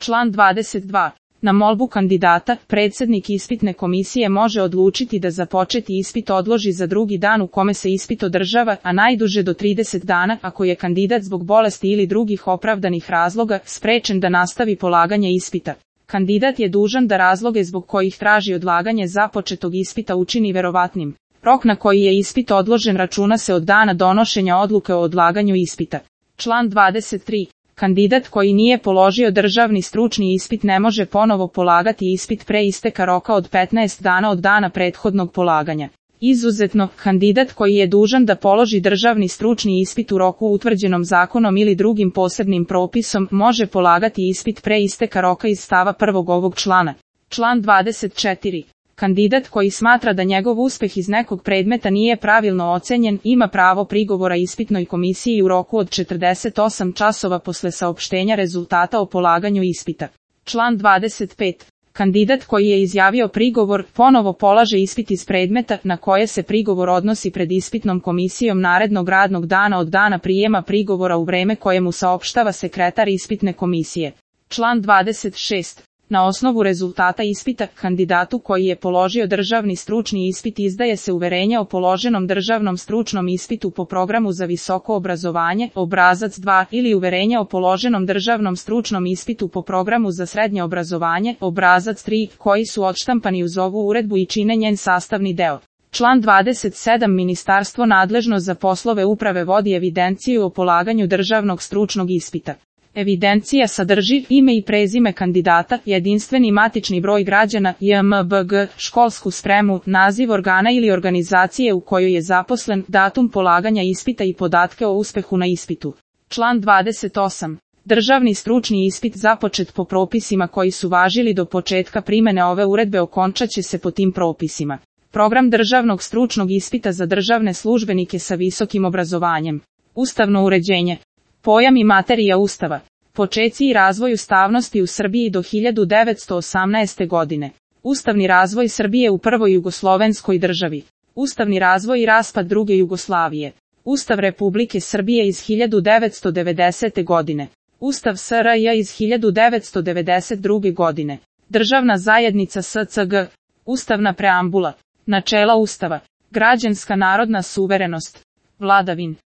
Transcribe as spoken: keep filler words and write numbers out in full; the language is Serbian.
Član dvadeset dva. Na molbu kandidata, predsjednik ispitne komisije može odlučiti da započeti ispit odloži za drugi dan u kome se ispit održava, a najduže do trideset dana ako je kandidat zbog bolesti ili drugih opravdanih razloga sprečen da nastavi polaganje ispita. Kandidat je dužan da razloge zbog kojih traži odlaganje započetog ispita učini verovatnim. Rok na koji je ispit odložen računa se od dana donošenja odluke o odlaganju ispita. Član dvadeset tri. Kandidat koji nije položio državni stručni ispit ne može ponovo polagati ispit pre isteka roka od petnaest dana od dana prethodnog polaganja. Izuzetno, kandidat koji je dužan da položi državni stručni ispit u roku utvrđenom zakonom ili drugim posebnim propisom može polagati ispit pre isteka roka iz stava prvog ovog člana. Član dvadeset četiri. Kandidat koji smatra da njegov uspeh iz nekog predmeta nije pravilno ocenjen, ima pravo prigovora ispitnoj komisiji u roku od četrdeset osam časova posle saopštenja rezultata o polaganju ispita. Član dvadeset pet. Kandidat koji je izjavio prigovor, ponovo polaže ispit iz predmeta na koje se prigovor odnosi pred ispitnom komisijom narednog radnog dana od dana prijema prigovora u vreme koje mu saopštava sekretar ispitne komisije. Član dvadeset šest. Na osnovu rezultata ispita, kandidatu koji je položio državni stručni ispit izdaje se uverenje o položenom državnom stručnom ispitu po programu za visoko obrazovanje, obrazac dva, ili uverenje o položenom državnom stručnom ispitu po programu za srednje obrazovanje, obrazac tri, koji su odštampani uz ovu uredbu i čine njen sastavni deo. Član dvadeset sedam. Ministarstvo nadležno za poslove uprave vodi evidenciju o polaganju državnog stručnog ispita. Evidencija sadrži ime i prezime kandidata, jedinstveni matični broj građana, J M B G, školsku spremu, naziv organa ili organizacije u kojoj je zaposlen, datum polaganja ispita i podatke o uspehu na ispitu. Član dvadeset osam. Državni stručni ispit započet po propisima koji su važili do početka primene ove uredbe okončat će se po tim propisima. Program državnog stručnog ispita za državne službenike sa visokim obrazovanjem. Ustavno uređenje. Pojam i materija Ustava. Počeci i razvoj ustavnosti u Srbiji do hiljadu devetsto osamnaeste. godine. Ustavni razvoj Srbije u prvoj jugoslovenskoj državi. Ustavni razvoj i raspad druge Jugoslavije. Ustav Republike Srbije iz hiljadu devetsto devedesete. godine. Ustav S R J iz hiljadu devetsto devedeset druge. godine. Državna zajednica S C G. Ustavna preambula. Načela Ustava. Građanska narodna suverenost. Vladavin.